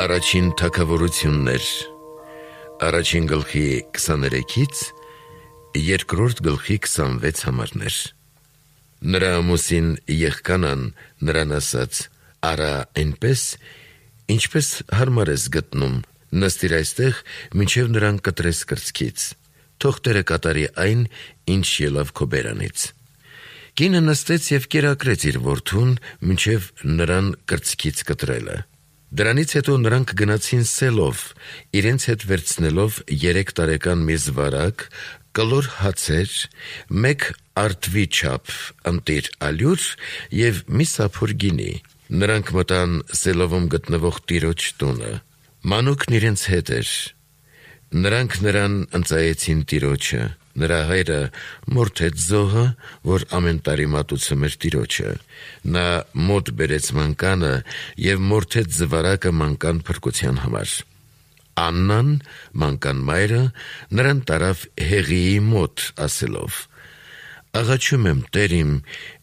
Առաջին թագավորություններ, առաջին գլխի 23-ից երկրորդ գլխի 26 համարներ։ Նրա ամուսին Եղկանան նրան ասաց. «Արա այնպես, ինչպես հարմար ես գտնում, նստիր այստեղ, մինչև նրան կտրես կրծքից, թող Տերը կատարի այն, ինչ ելավ քո բերանից»։ Կինը նստեց և կերակրեց իր որդուն, մինչև նրան կրծքից կտրելը։ Դրանից հետո նրանք գնացին սելով, իրենց հետ վերցնելով 3 տարեկան մի զվարակ, կլոր հացեր, 1 արդվի չափ ընտիր ալյուր և մի սափոր գինի։ Նրանք մտան Սելովում գտնվող տիրոջ տունը։ Մանուկն իրենց հետ էր։ Նրանք նրան ընծայեցին տիրոջը։ Նրա հայրը մորթեց զոհը, որ ամեն տարի մատուցում էր տիրոջը։ Նա մոտ բերեց մանկանը և մորթեց զվարակը մանկան փրկության համար։ Աննան, մանկան մայրը, նրան տարավ Հեղիի մոտ, ասելով. «Աղաչում եմ, Տեր իմ,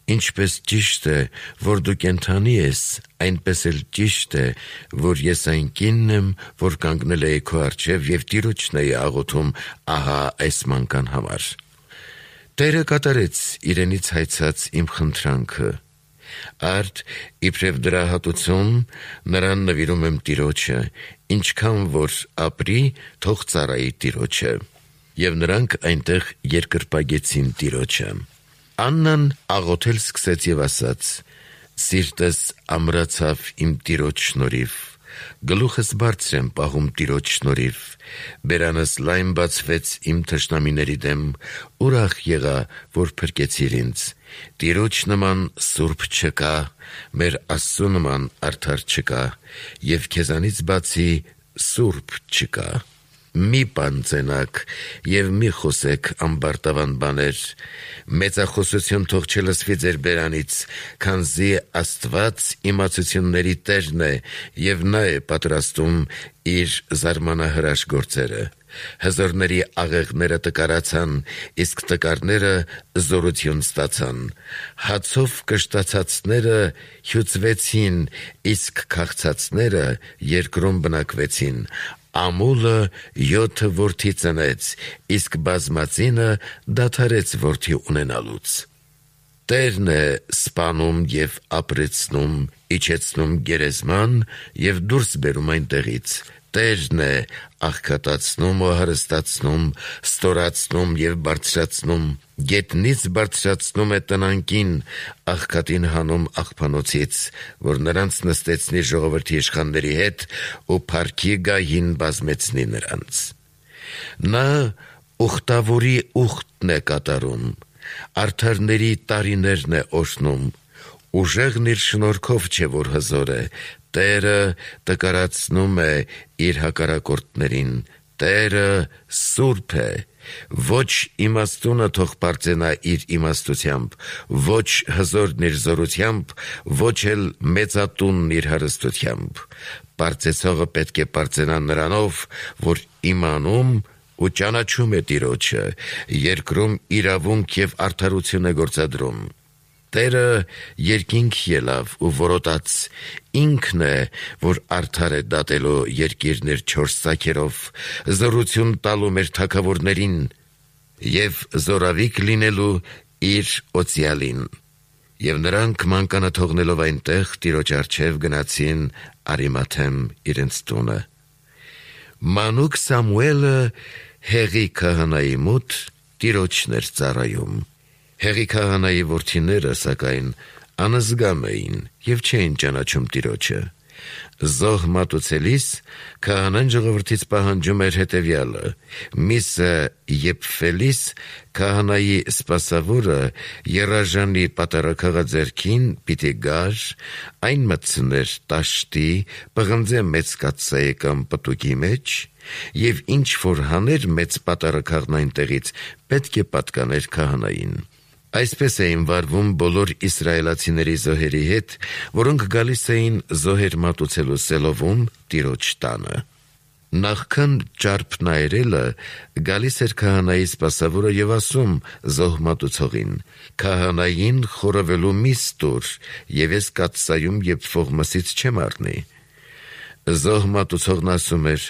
ինչպես ճիշտ է, որ դու կենդանի ես, այնպես էլ ճիշտ է, որ ես այն կինն եմ, որ կանգնել էի քո առջև և տիրոջն էի աղոթում ահա այս մանկան համար»։ Տերը կատարեց իրենից հայցած իմ խնդրանքը։ Արդ, իբրև դրա հատուցում, նրան նվիրում եմ տիրոջը, ինչքան որ ապրի, թող ծառայի տիրոջը։ Եվ նրանք այնտեղ երկրպագեցին տիրոջը։ Աննան աղոթել սկսեց և ասաց. «Սիրտս ամրացավ իմ տիրոջ շնորհիվ, գլուխս բարձր եմ պահում տիրոջ շնորհիվ, բերանս լայն բացվեց իմ թշնամիների դեմ, ուրախ եղա, որ փրկեցիր ինձ։ Տիրոջ նման սուրբ չկա, մեր Աստծու նման արդար չկա, և քեզանից բացի սուրբ չկա։ Մի պանծենաք և մի խոսեք ամբարտավան բաներ, մեծախոսություն թող չլսվի ձեր բերանից, քանզի Աստված իմացությունների Տերն է, և նա է պատրաստում իր զարմանահրաշ գործերը։ Հզորների աղեղները տկարացան, իսկ տկարները զորություն ստացան։ Հացով կշտացածները հյուծվեցին, իսկ քաղցածները երկրում բնակվեցին։ Ամուլը 7 որդի ծնեց, իսկ բազմածինը դադարեց որդի ունենալուց։ Տերն է սպանում և ապրեցնում, իջեցնում գերեզման և դուրս բերում այնտեղից։ Տերն է աղքատացնում ու հարստացնում, ստորացնում և բարձրացնում, գետնից բարձրացնում է տնանկին, աղքատին հանում աղբանոցից, որ նրանց նստեցնի ժողովրդի իշխանների հետ ու փառքի գահին բազմեցնի նրանց։ Նա ուխտավորի ուխտն է կատարում, արդարների տարիներն է օրհնում, ուժեղն իր շնորհքով չէ, որ հզոր է, Տերը տկարացնում է իր հակառակորդներին, Տերը սուրբ է, ոչ իմաստունը թող պարծենա իր իմաստությամբ, ոչ հզորն իր զորությամբ, ոչ էլ մեծատունն իր հարստությամբ։ Պարծեցողը պետք է պարծենա նրանով, որ իմանում ու ճանաչում է տիրոջը, երկրում իրավունք և արդարություն է գործադրում։ Տերը երկինք ելավ ու որոտաց, ինքն է, որ արդար է դատելու երկիրն իր 4 ծագերով, զորություն տալու մեր թագավորներին և զորավիկ լինելու իր օծյալին։ Եվ նրանք մանկանը թողնելով այնտեղ տիրոջ առջև գնացին Արիմաթեմ իրենց տունը։ Մանուկ Սամուելը Հեղի քահանայի մոտ տիրոջն էր ծառայում։ Հեղի քահանայի որդիները, սակայն, անզգամ էին և չէին ճանաչում տիրոջը։ Զոհ մատուցելիս քահանան ժողովրդից պահանջում էր հետևյալը. միսը եփվելիս քահանայի սպասավորը եռաժանի պատառաքաղաձեռքին պիտի գար, այն մտցներ տաշտի, պղնձե մեծ կաթսայի կամ պտուկի մեջ, և ինչ որ հաներ մեծ պատառաքաղն այնտեղից, պետք է պատկաներ քահանային։ Այսպես էին վարվում բոլոր իսրայելացիների զոհերի հետ, որոնք գալիս էին զոհեր մատուցելու Սելովում տիրոջ տանը։ Նախքան ճարպն այրելը գալիս էր քահանայի սպասավորը և ասում զոհ մատուցողին. «Քահանային խորովելու միս տուր, և ես կաթսայում եփվող մսից չեմ առնի»։ Զոհ մատուցողն ասում էր.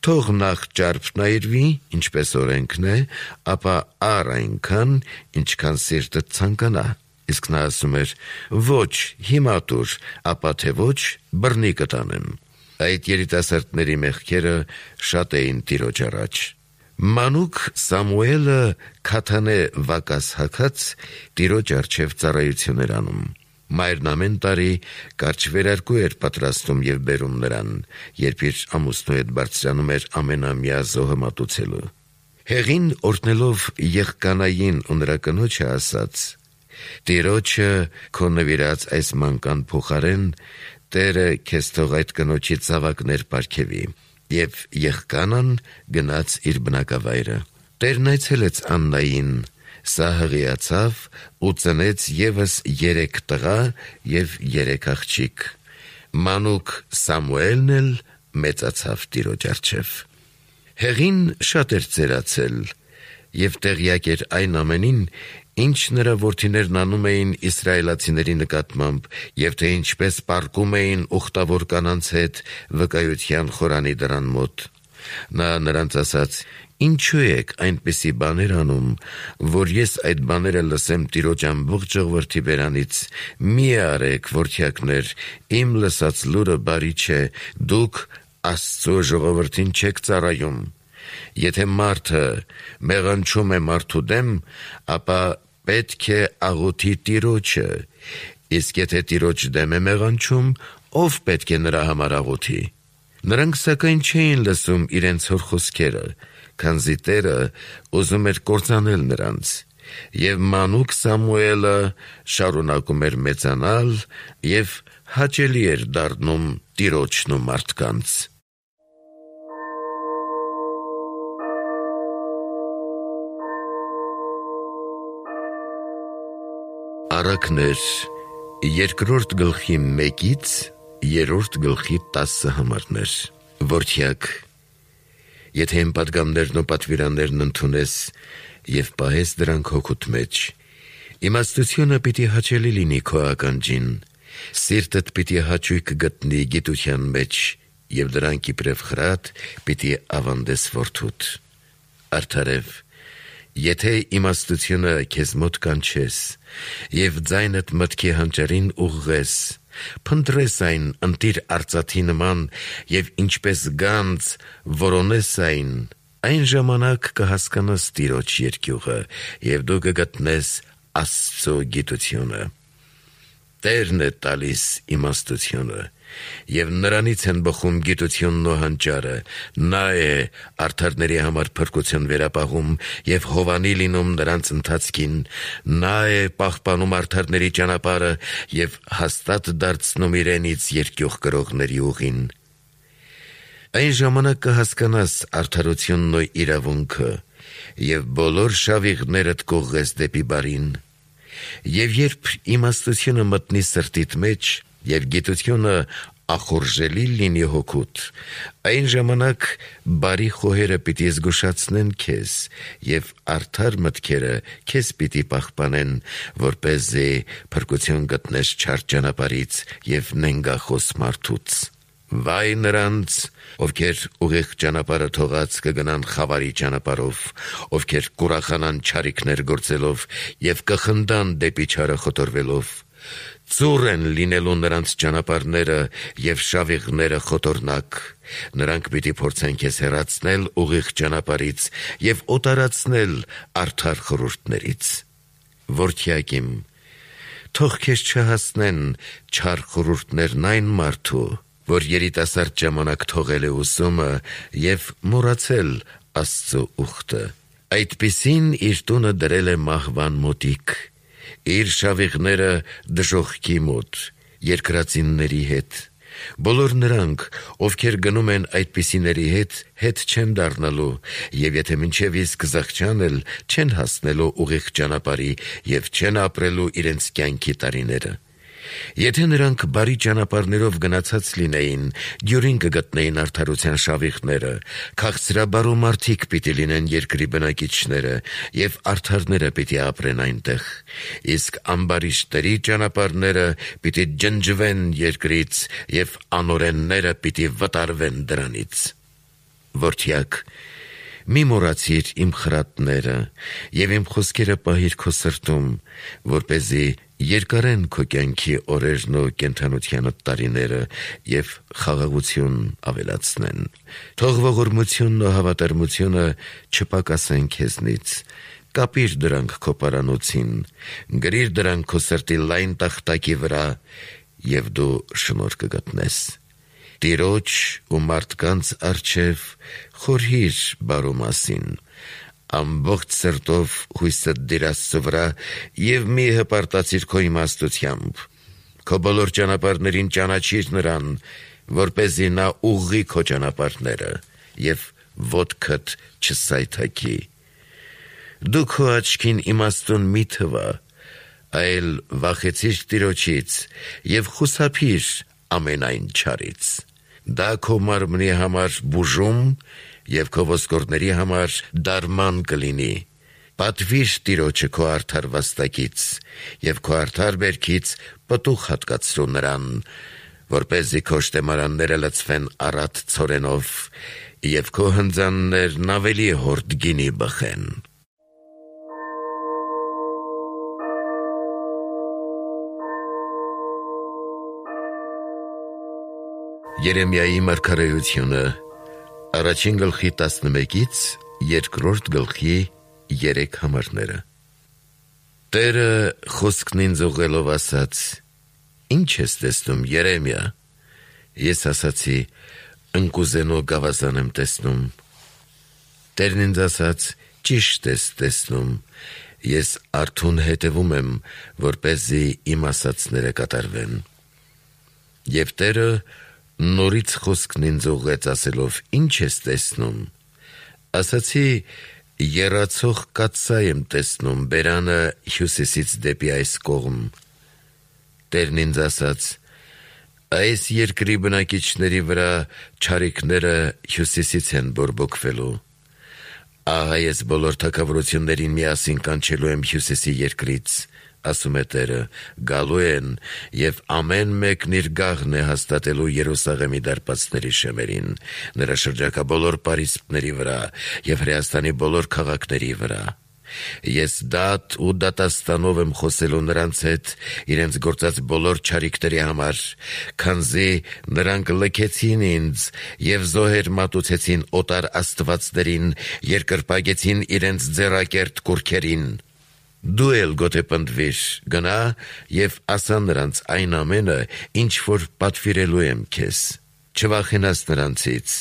թող նախ ճարպն այրվի, ինչպես օրենքն է, ապա առ այնքան, ինչքան սիրտը ցանկանա։ Իսկ նա ասում էր. ոչ, հիմա տուր, ապա թե ոչ, բռնի կտանեմ։ Այդ երիտասարդների մեղքերը շատ էին Տիրոջ առաջ։ Մանուկ Սամուելը քաթանե վակաս հագած Տիրոջ առջև ծառայություն էր անում։ Մայրն ամեն տարի կարճ վերարկու էր պատրաստում եւ բերում նրան, երբ իր ամուսնու հետ բարձրանում էր ամենամյա զոհը մատուցելու։ Հեղին օրհնելով եղկանային ու նրա կնոջը ասաց. Տիրոջը քո նվիրած այս մանկան փոխարեն Տերը քեզ թող այդ կնոջի ցավակներ պարգևի։ Եվ եղկանան գնաց իր բնակավայրը։ Տերն այցելեց Աննային, սա հղիացավ ու ծնեց եւս 3 տղա եւ 3 աղջիկ։ Մանուկ Սամուելն էլ մեծացավ Տիրոջ առջև։ Հեղին շատ էր ծերացել եւ տեղյակ էր այն ամենին, ինչ նրա որդիներն անում էին իսրայելացիների նկատմամբ եւ թե ինչպես պառկում էին ուխտավոր կանանց հետ վկայության խորանի դռան մոտ։ Նա նրանց ասաց. ինչու եք այնպիսի բաներ անում, որ ես այդ բաները լսեմ Տիրոջ ամբողջ ժողովրդի բերանից։ Մի արեք, որդյակներ, իմ լսած լուրը բարի չէ, դուք Աստծո ժողովրդին չեք ծառայում։ Եթե մարդը մեղանչում է մարդու դեմ, ապա պետք է աղոթի Տիրոջը, իսկ եթե Տիրոջ դեմ է մեղանչում, ով պետք է նրա համար աղոթի։ Նրանք սակայն չէին լսում իրենց հոր խոսքերը, քանզի Տերը ուզում էր կործանել նրանց։ Եվ մանուկ Սամուելը շարունակում էր մեծանալ եւ հաճելի էր դառնում Տիրոջն ու մարդկանց։ Առակներ 2-րդ գլխի 1-ից 3-րդ գլխի 10 համարներ։ Որդյակ, եթե իմ պատգամներն ու պատվիրաններն ընդունես եւ պահես դրանք հոգուտ մեջ, իմաստությունը պիտի հաճելի լինի քո ականջին, սիրտդ պիտի հաճույք գտնի գիտության մեջ եւ դրանք իբրև խրատ պիտի ավանդես որդուդ։ Արդարև, եթե իմաստությունը քեզ մոտ կանչես եւ ձայնդ մտքի հանճարին ուղղես, փնտրես այն ընտիր արծաթի նման եւ ինչպես գանձ որոնես այն ժամանակ կհասկանաս Տիրոջ երկյուղը եւ դու կգտնես Աստծո գիտությունը։ Տերն է տալիս իմաստությունը եւ նրանից են բխում գիտությունն ու հանճարը։ Նա է արդարների համար փրկություն վերապահում եւ հովանի լինում նրանց ընթացքին։ Նա է պահպանում արդարների ճանապարհը եւ հաստատ դարձնում իրենից երկյուղ կրողների ուղին։ Այն ժամանակ կհասկանաս արդարությունն ու իրավունքը եւ բոլոր շավիղներդ կուղղես դեպի բարին։ Եվ երբ իմաստությունը մտնի սրտիդ մեջ եւ գիտությունը ախորժելի լինի հոգուտ, այն ժամանակ բարի խոհերը պիտի զգուշացնեն քեզ եւ արդար մտքերը քեզ պիտի պահպանեն, որպեսզի փրկություն գտնես չար ճանապարհից եւ նենգախոս մարդուց։ Վայ նրանց, ովքեր ուղիղ ճանապարհը թողած կգնան խավարի ճանապարհով, ովքեր կուրախանան չարիքներ գործելով եւ կխնդան դեպի չարը խոտորվելով։ Ծուռ են լինելու նրանց ճանապարհները եւ շավիղները խոտորնակ։ Նրանք պիտի փորձեն քեզ հեռացնել ուղիղ ճանապարհից եւ օտարացնել արդար խորհուրդներից։ Որդյակ իմ, թող քեզ չհասնեն չար խորհուրդներն այն մարդու, որ երիտասարդ ժամանակ թողել է ուսումը եւ մոռացել Աստծո ուխտը։ Այդպիսին իր տունը դրել է մահվան մոտիկ, իր շավիղները դժոխքի մոտ, երկրածինների հետ։ Բոլոր նրանք, ովքեր գնում են այդպիսիների հետ չեն դառնալու, եւ եթե մինչև իսկ զղջան էլ չեն հասնելու ուղիղ ճանապարհի եւ չեն ապրելու իրենց կյանքի տարիները։ Եթե նրանք բարի ճանապարհներով գնացած լինեին, դյուրին կգտնեին արդարության շավիղները, քաղցրաբարու մարդիկ պիտի լինեն երկրի բնակիչները, եւ արդարները պիտի ապրեն այնտեղ, իսկ ամբարիշտերի ճանապարհները պիտի ջնջվեն երկրից, եւ անօրենները պիտի վտարվեն դրանից։ Որդյակ, մի մոռացիր իմ խրատները եւ իմ խոսքերը պահիր քո սրտում, որպեսզի երկարեն քո կյանքի օրերն ու կենդանության տարիները եւ խաղաղություն ավելացնեն։ Թող ողորմությունն ու հավատարմությունը չպակասեն քեզնից։ Կապիր դրանք քո պարանոցին, գրիր դրանք քո սրտի լայն տախտակի վրա, եւ դու շնորհ կգտնես։ Տիրոջ ու մարդկանց առջև խորհիր բարու մասին, ամբողջ սրտով հույսդ դիր Աստծո վրա եւ մի հպարտացիր քո իմաստությամբ։ Քո բոլոր ճանապարհներին ճանաչիր նրան, որպեսզի նա ուղղի քո ճանապարհները եւ ոտքդ չսայթաքի։ Դու քո աչքին իմաստուն մի թվա, այլ վախեցիր Տիրոջից եւ խուսափիր ամենայն չարից։ Դա քո մարմնի համար բուժում եւ քո ոսկորների համար դարման կլինի։ Պատվիր Տիրոջը քո արդար վաստակից եւ քո արդար բերքից պտուղ հատկացրու նրան, որպեսզի քո շտեմարանները լցվեն առատ ցորենով եւ քո հնձաններն ավելի հորդ գինի բխեն։ Երեմիայի մարգարեությունը առաջին գլխի 11-ից երկրորդ գլխի 3 համարները։ Տերը խոսքն ինձ ուղղելով ասաց. Ինչ ես տեսնում, Երեմիա։ Ես ասացի. ընկուզենո գավազան եմ տեսնում։ Տերն ինձ ասաց. ճիշտ ես տեսնում։ Ես արթուն հետևում եմ, որպեսզի իմ ասածները կատարվեն։ Եվ Տերը նորից խոսքն ինձ ուղղեց ասելով. ինչ ես տեսնում։ Ասացի. եռացող կաթսայ եմ տեսնում բերանը հյուսիսից դեպի այս կողմ։ Տերն ինձ ասաց. այս երկրի բնակիչների վրա չարիքները հյուսիսից են բորբոքվելու։ Ահա ես բոլոր թագավորություններին միասին կանչելու եմ հյուսիսի երկրից, ասում է Տերը, գալու են եւ ամեն մեկն իր գաղն է հաստատելու Երուսաղեմի դարպասների շեմերին, նրա շրջակա բոլոր պարիսպների վրա եւ Հրեաստանի բոլոր քաղաքների վրա։ Ես դատ ու դատաստանով եմ խոսելու նրանց հետ իրենց գործած բոլոր չարիքների համար, քանզի նրանք լքեցին ինձ եւ զոհեր մատուցեցին օտար աստվածներին, երկրպագեցին իրենց ձեռակերտ կուռքերին։ Դու էլ գոթե պնդվիր, գնա եւ ասա նրանց այն ամենը, ինչ որ պատվիրելու եմ քեզ։ Չվախենաս նրանցից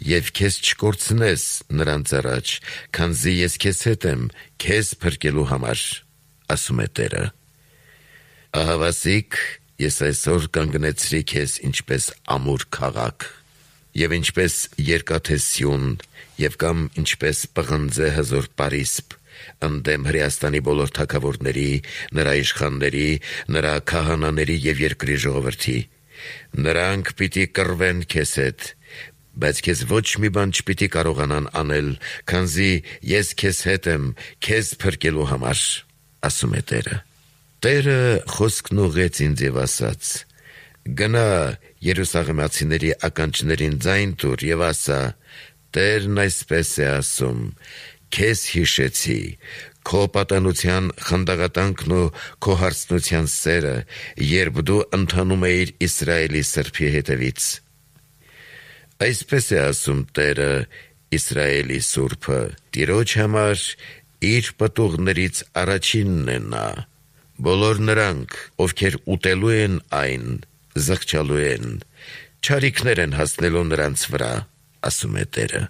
եւ քեզ չկորցնես նրանց առաջ, քանզի ես քեզ հետ եմ, քեզ փրկելու համար, ասում է Տերը։ Ահավասիկ, ես այսօր կանգնեցրի քեզ ինչպես ամուր քաղաք, եւ ինչպես երկաթե սյուն, եւ կամ ինչպես պղնձե հզոր պարիսպ, ընդդեմ Հրեաստանի բոլոր թագավորների, նրա իշխանների, նրա քահանաների եւ երկրի ժողովրդի։ Նրանք պիտի կռվեն քեզ հետ, բայց քեզ ոչ մի բան չպիտի կարողանան անել, քանզի ես քեզ հետ եմ, քեզ փրկելու համար, ասում է Տերը։ Տերը խոսքն ուղղեց ինձ եւ ասաց. գնա Երուսաղեմացիների ականջներին ձայն տուր եւ ասա. Տերն այսպես է ասում. Քեզ հիշեցի, քո պատանության խնդաղատանքն ու քո հարցնության սերը, երբ դու ընթանում էիր Իսրայելի սրբի հետևից։ Այսպես է ասում Տերը, Իսրայելի Սուրբը, Տիրոջ համար իր պտուղներից առաջինն է նա։ Բոլոր նրանք, ովքեր ուտելու են այն, զղջալու են, չարիքներ են հասնելու նրանց վրա, ասում է Տերը։